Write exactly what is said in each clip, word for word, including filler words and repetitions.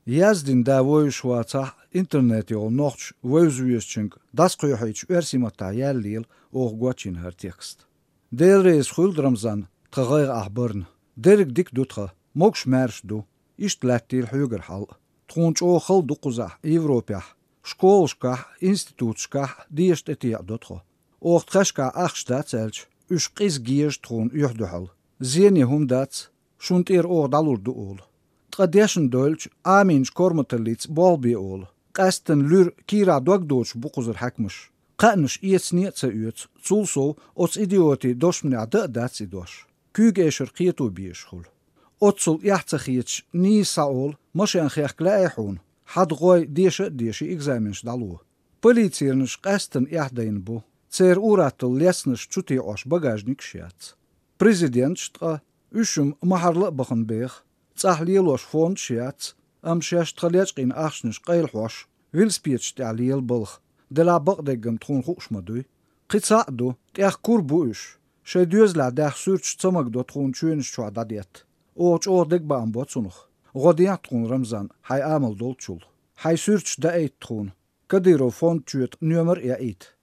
Yazdin davoyuş vata internet yol noqç vözüyesçink das qoyuhiç versimata yallil oğguaçin her tekst. Delreis xuldramzan tağayg ahbarn. Derik dik dutqa mokş merşdu işt lattil hüger hal. Tğunç o xal duquzah Evropah. Şkolşkah, institutşkah diyest etiya dutqa. Oğtqaşka axştatselç üş qiz giyeş tğun yuhduhal. Zeni humdats şuntir o dalurdu ol. Tqadeshin dolç aminç kormatalitz bolbi ol. Qasten lür kira dogdoç buquzur hakmış. Qanış iyetsniyetsa üyets sulso ots idioti doşmna da datsi doş. Kügeşir qiyetu biyşhul. Otsul yaxtsaxiç ni saol moşen xeqlaihun. Hadgoy dişe dişi egzaminş dalu. Politsiyerniş qasten yahdayn bu. Cer uratıl lesniş çuti oş bagajnik şiyats. Prezident ştqa üşüm maharlı baxın bex. Tsahliloş fond şiyats. Am şeş txalyaçqin axşniş qaylhoş. Vilspietş ta'liyel balx. Dela baqdegam txun xuxmaduy. Qitsaqdu tiaq kurbu üş. Şedüzla dax sürç tsamagdo txun çüyniş çuadadiyat. Oç o degbam botsunuq. Godiyan txun Ramzan hay amal dolçul. Hay sürç da eit txun. Kadirov fond çüyet nömer ya eit.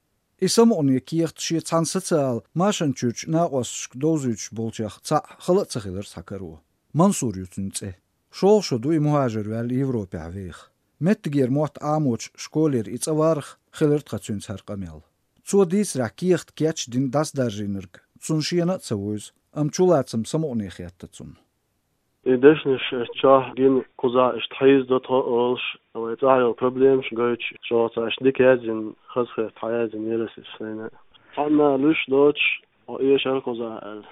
İsam onu kiyaht şi tsansıtsal maşan çüç naqosşk dozüç bolçaq tsa xalat tsxilir sakaru. Mansur yutsunce. Şol şodu muhajir vel Evropa vex. Mettiger mot amoç şkoler itsavarx xilert qatsün sarqamel. Tsodis rakiyaht kiach din das darjinirk. Tsunşiyana tsavoyz am çulatsam samoni xiyattatsun. Ideshnish chah gin kuza ist heiz dot olsh, aber jetzt auch Problem goch so as dikazin khasfe hayazin yelesis sene. Anna lush doch o yeshar kuza el.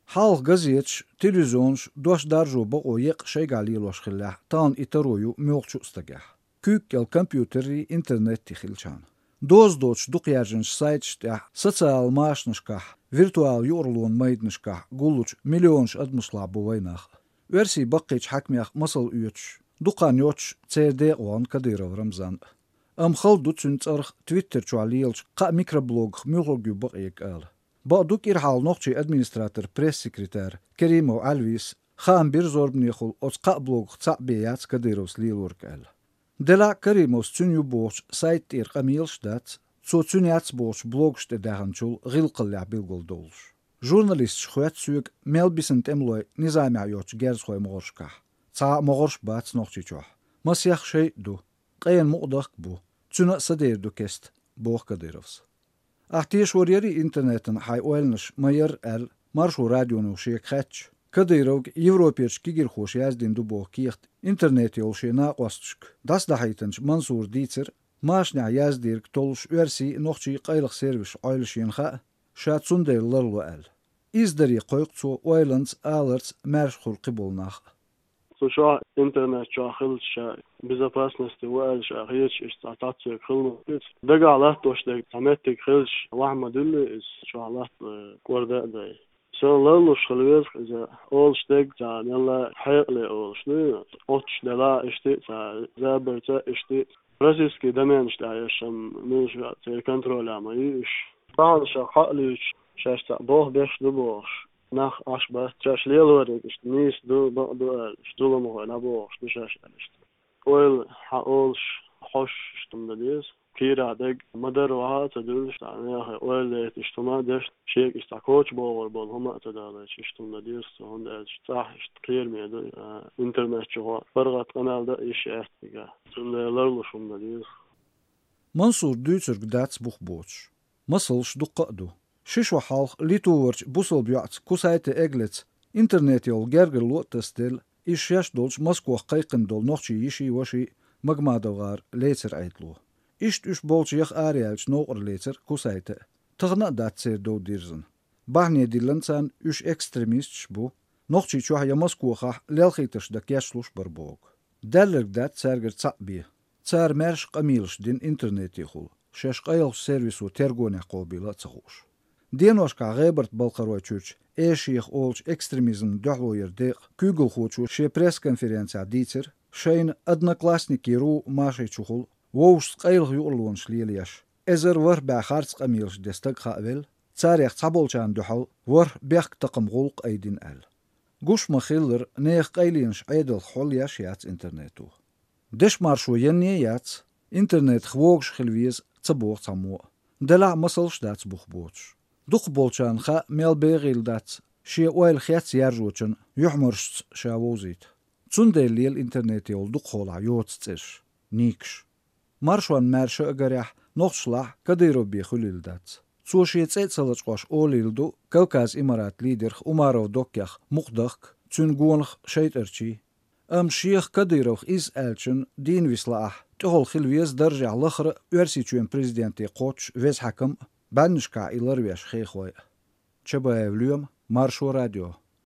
Hal gazetch televizyons doş darjo ba oyq şey galilosh xillah tan itaroyu myoqchu stagah. Kükkel kompüteri internet tixilchan. Doz doç duqyarjınş saytşta sotsial maşnışkah, virtual yorluğun maydnışkah guluç milyonş admışla bu vaynaq. Versi baqiç hakmiyaq masal üyüç. Duqan yoç C D on Kadirov Ramzan. Am xaldu çünçarx Twitter çualiyelç qa mikroblog mülogü baqiyek al. Baqduk irhal noqçi administrator press sekreter Kerimov Alvis xan bir zorbnixul oçqa blog tsabiyats Kadirovs lilurk al. Dela Karimovs tünyu boş sayt ir qamilştat, so tünyats boş blogşte dahançul gilqilla bilgul dolş. Jurnalist şxuat süyük melbisen temloy nizami yoç gerzxoy moğorşkah. Ça moğorş bats noqçiçoh. Masyax şey du. Qayan muqdaq bu. Tüna sadir du kest. Boğ Kadirovs. Ahtiyeş wariyari internetin hay oelniş mayer el marshu radyonu şiyek xatç. Kadirov Evropiyeç kigir xoş yazdin du boğ kiyaht internet yol şey naqostşk. Das dahaytınç Mansur Dietzer maşna yazdirk tolş versi noqçi qaylıq servis aylışınxa şatsundaylarlu el. İzdari qoyqçu oylans alerts mershul qibolnaq. So şu internet çahıl şa безопасности вал şa hiç istatasiya kılmıyor. Daga Allah doşdak tamettik hılş vahmadullu is şu Allah korda da. Sonlarla şalvez za olştak za nella hayli olşnu oç dela işte za zaberta işte Rusiski demen işte yaşam nuşa te kontrol amayı iş. Bağışa halış şaşta boh beş du boh. Nach aşba çaşlıyorlar işte nis du du stulumu hala boh du şaş işte. Oil ha olş hoş istumda diyoruz. Kira deg madar vaha tadul işte ya oil işte ma deş şey işte koç bol bol homa tadala istumda diyoruz. Onda sah işte kıyırmıyordu. İnternet çoğu fargat kanalda iş ettiga. Sundalar luşumda diyoruz. Mansur Düçürg dats buh boç. Masalş duqqadu. Şiş ve halk lituvarç busal biyats kusayte eglets internet yol gerger lotastel iş yaş dolç Moskva qayqın dol noqçi yişi vaşi magmadavgar lecer aytlu. İşt üç bolç yax ariyalç noqr lecer kusayte. Tığna datser do dirzin. Bahne dilansan üç ekstremist bu. Noqçi çuhaya Moskva lelxitış da yaşluş barbog. Derlerg dat serger tsaqbi. Tsar merş qamilş din interneti xul. Şeş qayl servisu tergone qobila tsaqoş. Denoşka Gebert Balqaroyçuç eşiyx olç ekstremizm dahloyer deq kügül xoçu şe press konferensiya dicer şeyin adnaklasniki ru maşeçuxul Wows qayl yurluğun şliyelyaş. Ezer var ba xarts qamilş destek xavel tsarix tsabolçan duhal var beq taqım qulq aydin al. قوش مخيلر نيخ قيلينش عيدل خول ياشيات انترنتو دش مارشو ينيات انترنت خوغش خلويز تبوغ تامو دلع مصلش دات بوخ بوتش دوخ بولشان خا ميل بيغيل دات شي اويل خيات يارجوچن يحمرش شاووزيت تسندل ليل انترنت يول دوخ خولا يوتستش نيكش مارشوان مارشو اگريح نوخشلاح كديرو بيخوليل دات سوشي تسيتسلچ قوش اوليلدو كوكاز امارات ليدر عمارو دوكيخ مقدخ تسنگونخ شيترچي ام شيخ كديروخ إز ألشن دين ويسلاح تهول خلويز درجع لخر ورسيچوين بريزيدنتي قوتش ويز حكم بانشكا إلر ويش خيخوي چبا اوليوم مارشو راديو